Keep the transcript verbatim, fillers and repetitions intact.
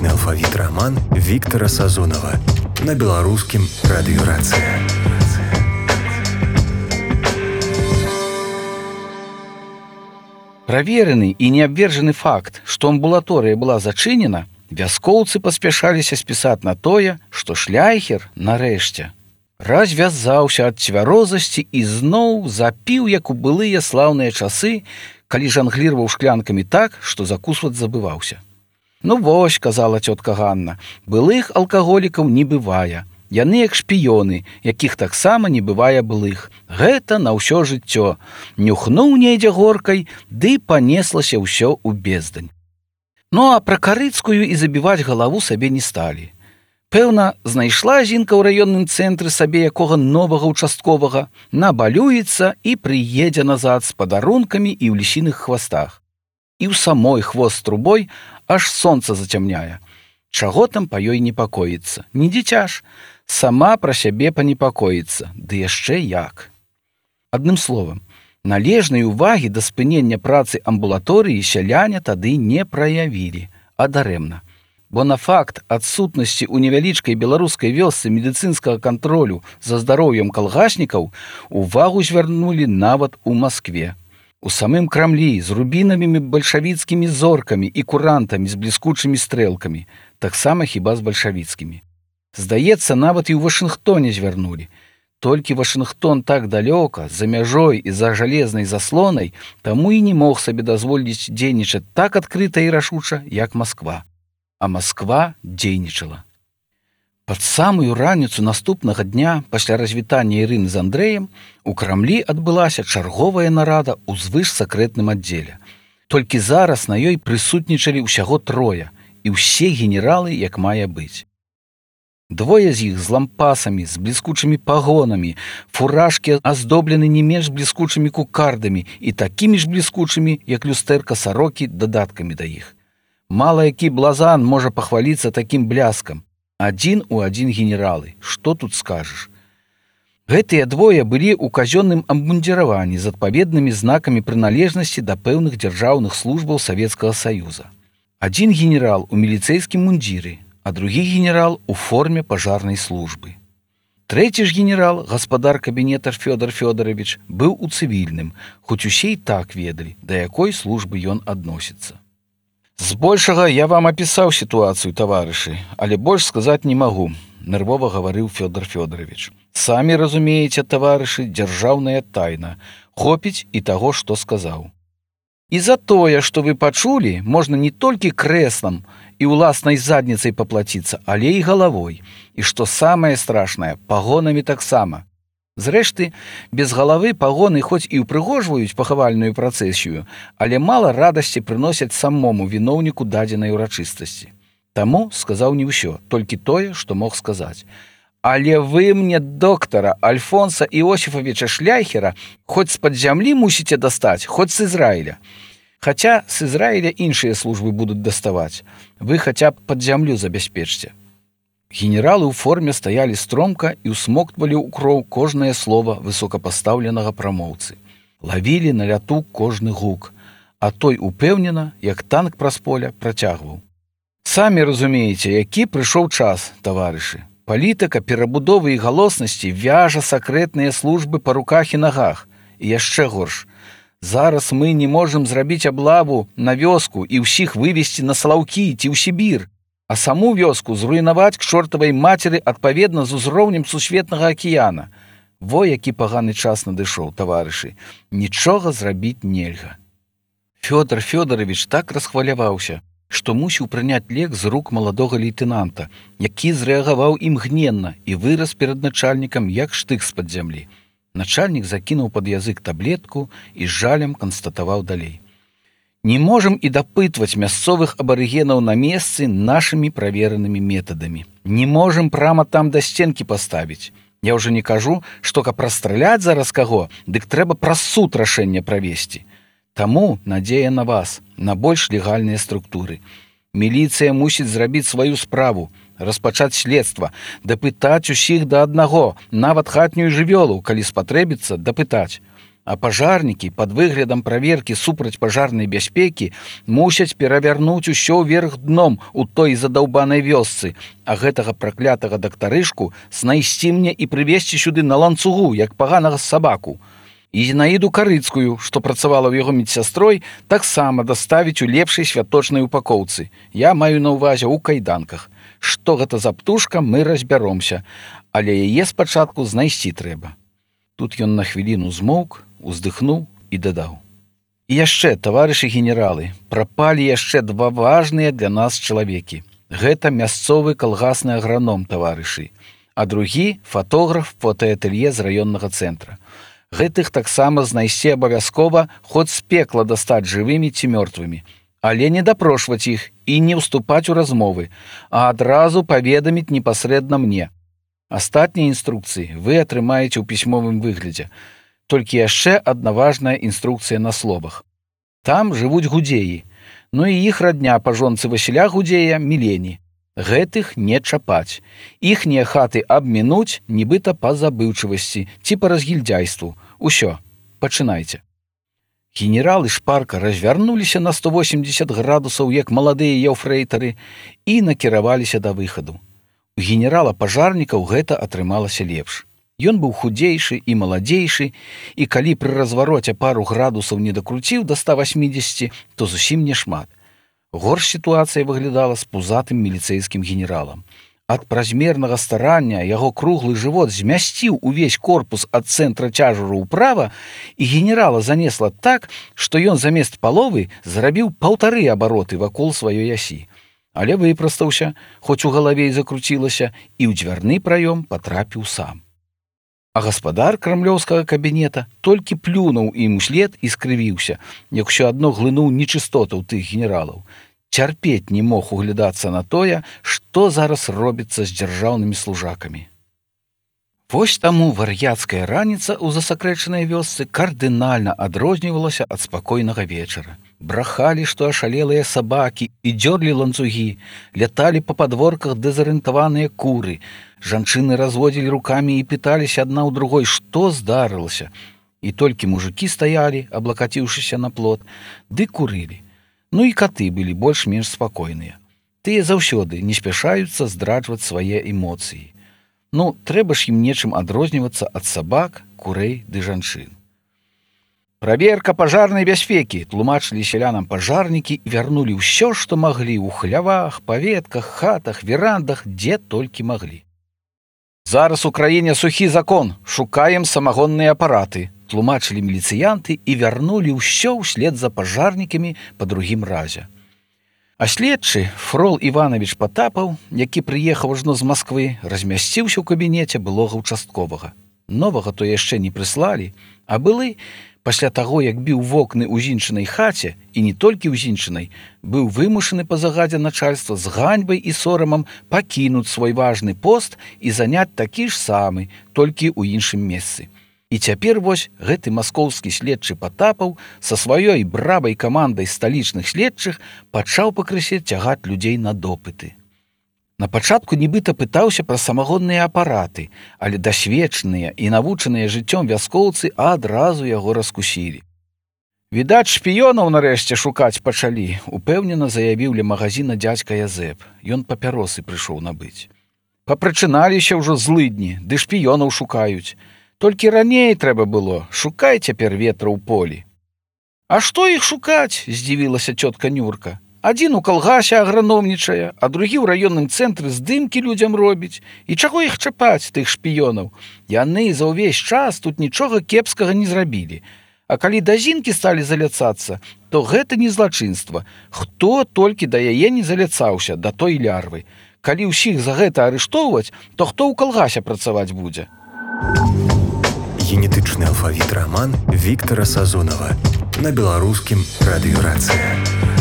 музычны алфавіт раман Віктара Сазонава на беларускім радыёрацыя. Праверены і неабвержаны факт, што амбулаторыя была зачынена, вяскоўцы паспяшаліся спісаць на тое, што шляйхер, нарэшце, развязаўся ад цвярозасці і зноў запіў, як у былыя слаўныя часы, калі жанглірваў шклянкамі так, што закусваць забываўся. «Ну вось», — казала цётка Ганна, — «былых алкаголікаў не бывае. Яны як шпіёны, якіх таксама не бывае былых. Гэта на ўсё жыццё. Нюхнуў недзе горкай, ды панеслася ўсё ў бездань». Ну а пра Карыцкую і забіваць галаву сабе не сталі. Пэўна, знайшла Зінка ў раённым цэнтры сабе якога новага участковага, набалюецца і прыедзе назад з падарункамі і ў лісіных хвастах. І ў самой хвост трубой аж сонца зацямняе. Чаго там па ёй непакоіцца? Не дзіця ж, сама пра сябе панепакоіцца, ды яшчэ як. Адным словам, належнай увагі да спынення працы амбулаторыі сяляне тады не праявілі, а дарэмна. Бо на факт адсутнасці ў невялічкай беларускай вёсцы медыцынскага кантролю за здароўем калгаснікаў увагу звярнулі нават у Маскве. У самым Крамлі з рубінавымі бальшавіцкімі зоркамі і курантамі з бліскучымі стрэлкамі, таксама хіба з бальшавіцкімі. Здаецца, нават і ў Вашынгтоне звярнулі. Толькі Вашынгтон так далёка, за мяжой і за жалезнай заслонай, таму і не мог сабе дазволіць дзейнічаць так адкрыта і рашуча, як Масква. А Масква дзейнічала. Пад самую раніцу наступнага дня, пасля развітання Ірыны з Андрэем, у Крамлі адбылася чарговая нарада ў звышсакрэтным аддзеле. Толькі зараз на ёй прысутнічалі ўсяго трое, і ўсе генералы, як мае быць. Двое з іх з лампасамі, з бліскучымі пагонамі, фуражкі аздоблены не менш бліскучымі кукардамі і такімі ж бліскучымі, як люстэрка сарокі, дадаткамі да іх. Мала які блазан можа пахваліцца такім бляскам. Адзін у адзін генералы. Што тут скажаш? Гэтыя двое былі ў казённым абмундзіраванні з адпаведнымі знакамі прыналежнасці да пэўных дзяржаўных службаў Савецкага Саюза. Адзін генерал у міліцэйскім мундзіры, а другі генерал у форме пажарнай службы. Трэці ж генерал, гаспадар кабінета Фёдор Фёдорович, быў у цывільным, хоць усе і так ведалі, да якой службы ён адносіцца. «Збольшага я вам апісаў сітуацыю, таварышы, але больш сказаць не магу», — нервова гаварыў Фёдор Фёдорович. «Самі разумееце, таварышы, дзяржаўная тайна. Хопіць і таго, што сказаў. І за тое, што вы пачулі, можна не толькі крэслам і ўласнай задніцай паплаціцца, але і галавой. І што самае страшнае, пагонамі таксама. Зрэшты, без галавы пагоны хоць і ўпрыгожваюць пахавальную працэсію, але мала радасці прыносяць самому віноўніку дадзенай урачыстасці. Таму сказаў не ўсё, толькі тое, што мог сказаць. Але вы мне доктара Альфонса Іосіфавіча Шляйхера хоць з-пад зямлі мусіце дастаць, хоць з Ізраіля. Хаця з Ізраіля іншыя службы будуць даставаць. Вы хаця б пад зямлю забяспечце». Генералы ў форме стаялі стромка і ўсмоктвалі ў кроў кожнае слова высокапастаўленага прамоўцы. Лавілі на ляту кожны гук, а той упэўнена, як танк праз поля, працягваў. «Самі разумееце, які прыйшоў час, таварышы. Палітыка перабудовы і галоснасці вяжа сакрэтныя службы па руках і нагах. І яшчэ горш. Зараз мы не можам зрабіць аблаву на вёску і ўсіх вывесці на Салаўкі ці ў Сібір, а саму вёску зруйнаваць к чортавай мацеры адпаведна з узроўнем сусветнага акіяна. Во які паганы час надышоў, таварышы. Нічога зрабіць нельга». Фёдор Фёдорович так расхваляваўся, што мусіў прыняць лек з рук маладога лейтэнанта, які зрэагаваў імгненна і вырас перад начальнікам як штык з-пад зямлі. Начальнік закінуў пад язык таблетку і з жалем канстатаваў далей. «Не можам і дапытваць мясцовых абарыгенаў на месцы нашымі праверанымі метадамі. Не можам прама там да сценкі паставіць. Я ўжо не кажу, што каб расстраляць зараз каго, дык трэба праз суд рашэнне правесці. Таму надзея на вас, на больш легальныя структуры. Міліцыя мусіць зрабіць сваю справу, распачаць следства, дапытаць усіх да аднаго, нават хатнюю жывёлу, калі спатрэбіцца, дапытаць. А пажарнікі пад выглядам праверкі супрацьпажарнай бяспекі мусяць перавярнуць усё вверх дном у той задаўбанай вёсцы, а гэтага праклятага дактарышку знайсці мне і прывезці сюды на ланцугу, як паганага сабаку. І Зінаіду Карыцкую, што працавала ў яго медсястрой, таксама даставіць у лепшай святочнай упакоўцы. Я маю на ўвазе ў кайданках. Што гэта за птушка, мы разбяромся, але яе спачатку знайсці трэба. Тут ён на хвіліну змоўк, уздыхнуў і дадаў: І яшчэ, таварышы генералы, прапалі яшчэ два важныя для нас чалавекі. Гэта мясцовы калгасны аграном, таварышы, а другі фатограф фотаатэлье з раённага цэнтра. Гэтых таксама знайсці абавязкова, хоць з пекла дастаць жывымі ці мёртвымі, але не дапрошваць іх і не ўступаць у размовы, а адразу паведаміць непасрэдна мне. Астатнія інструкцыі вы атрымаеце ў пісьмовым выглядзе. Толькі яшчэ адна важная інструкцыя на словах. Там жывуць гудзеі, ну і іх радня па жонцы Васіля Гудзея Мілені. Гэтых не чапаць. Іхнія хаты абмінуць, нібыта па забыўчывасці ці па разгільдзяйству. Усё, пачынайце. Генералы шпарка развярнуліся на сто восемьдесят градусаў, як маладыя яўфрэйтары, і накіраваліся да выхаду. У генерала-пажарнікаў гэта атрымалася лепш. Ён быў худзейшы і маладзейшы, і калі пры развароце пару градусаў не дакруціў да ста восьмидесяти, то зусім не шмат. Горш сітуацыя выглядала з пузатым міліцэйскім генералам. Ад празмернага старання яго круглы жывот змясціў увесь корпус ад цэнтра цяжару ўправа, і генерала занесла так, што ён замест паловы зрабіў паўтары абароты вакол сваёй асі. Але выпрастаўся, хоць у галаве і закруцілася, і ў дзвярны праём патрапіў сам. А гаспадар крамлёўскага кабінета толькі плюнуў ім услед і скрывіўся, як усё адно глынуў нечыстотаў тых генералаў. Цярпець не мог углядацца на тое, што зараз робіцца з дзяржаўнымі служакамі. Вось таму вар'яцкая раніца ў засакрэчанай вёсцы кардынальна адрознівалася ад спакойнага вечара. Брахалі, што ашалелыя сабакі і дзёрлі ланцугі, ляталі па падворках дэзарыентаваныя куры. Жанчыны разводзілі рукамі і пыталіся адна ў другой, што здарылася. І толькі мужыкі стаялі, аблакаціўшыся на плот, ды курылі. Ну і каты былі больш-менш спакойныя. Тыя заўсёды не спяшаюцца здраджваць свае эмоцыі. Ну, трэба ж ім нечым адрознівацца ад сабак, курэй ды жанчын. Праверка пажарнай бяспекі, тлумачылі сялянам пажарнікі і вярнулі ўсё, што маглі ў хлявах, паветках, хатах, верандах, дзе толькі маглі. Зараз у краіне сухі закон, шукаем самагонныя апараты, тлумачылі міліцыянты і вярнулі ўсё ўслед за пажарнікамі па другім разе. А следчы Фрол Іванович Патапаў, які прыехаў ажно з Масквы, размясціўся ў кабінеце былога ўчастковага. Новага то яшчэ не прыслалі, а былы, пасля таго, як біў вокны ў зінчынай хаце, і не толькі ў зінчынай, быў вымушаны па загадзе начальства з ганьбай і сорамам пакінуць свой важны пост і заняць такі ж самы, толькі ў іншым месцы. І цяпер вось гэты маскоўскі следчы Патапаў са сваёй бравай камандай сталічных следчых пачаў пакрысе цягаць людзей на допыты. Напачатку нібыта пытаўся пра самагонныя апараты, але дасведчаныя і навучаныя жыццём вяскоўцы адразу яго раскусілі. Відаць, шпіёнаў нарэшце шукаць пачалі, упэўнена заявіў ля магазіна дзядзька Язэп. Ён папяросы прыйшоў набыць. Папрачыналіся ўжо злыдні, ды шпіёнаў шукаюць. Толькі раней трэба было, шукай цяпер ветра ў полі. А што іх шукаць? Здзівілася цётка Нюрка. Адзін у калгасе аграномнічае, а другі ў раённым цэнтры здымкі людзям робіць. І чаго іх чапаць, тых шпіёнаў? Яны за ўвесь час тут нічога кепскага не зрабілі. А калі да зінкі сталі заляцацца, то гэта не злачынства. Хто толькі да яе не заляцаўся, да той лярвы. Калі ўсіх за гэта арыштоўваць, то хто ў калгасе працаваць будзе? Генетычны алфавіт раман Віктара Сазонава на беларускім радыёрацыі.